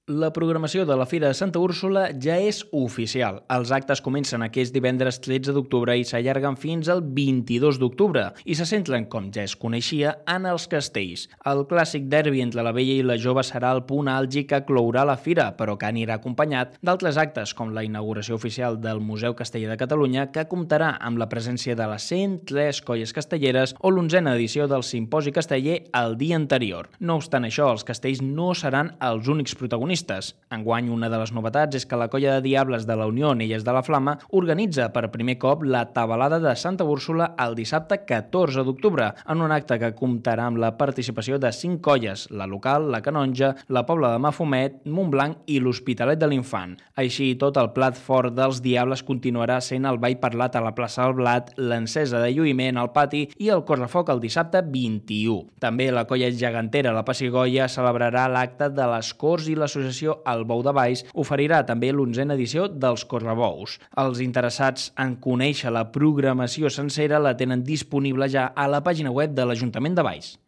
La programació de la Fira de Santa Úrsula ja és oficial. Els actes comencen aquest divendres 13 d'octubre i s'allarguen fins al 22 d'octubre i se centren, com ja es coneixia, en els castells. El clàssic derbi entre la vella i la jove serà el punt àlgid que clourà la fira, però que anirà acompanyat d'altres actes, com la inauguració oficial del Museu Casteller de Catalunya, que comptarà amb la presència de les 103 colles castelleres, o l'11a edició del Simposi Casteller el dia anterior. No obstant això, els castells no seran els únics protagonistes. Enguany, una de les novetats és que la colla de diables de la Unió Onelles de la Flama organitza per primer cop la tabalada de Santa Úrsula el dissabte 14 d'octubre, en un acte que comptarà amb la participació de 5 colles, la local, la canonja, la Pobla de Mafumet, Montblanc i l'Hospitalet de l'Infant. Així, tot el plat fort dels diables continuarà sent el ball parlat a la plaça del Blat, l'encesa de lluïment al pati i el correfoc el dissabte 21. També la colla gegantera La Pessigolles celebrarà l'acte de les Corts i l'associació El Bou de Valls oferirà també l'11a edició dels Correbous. Els interessats en conèixer la programació sencera la tenen disponible ja a la pàgina web de l'Ajuntament de Valls.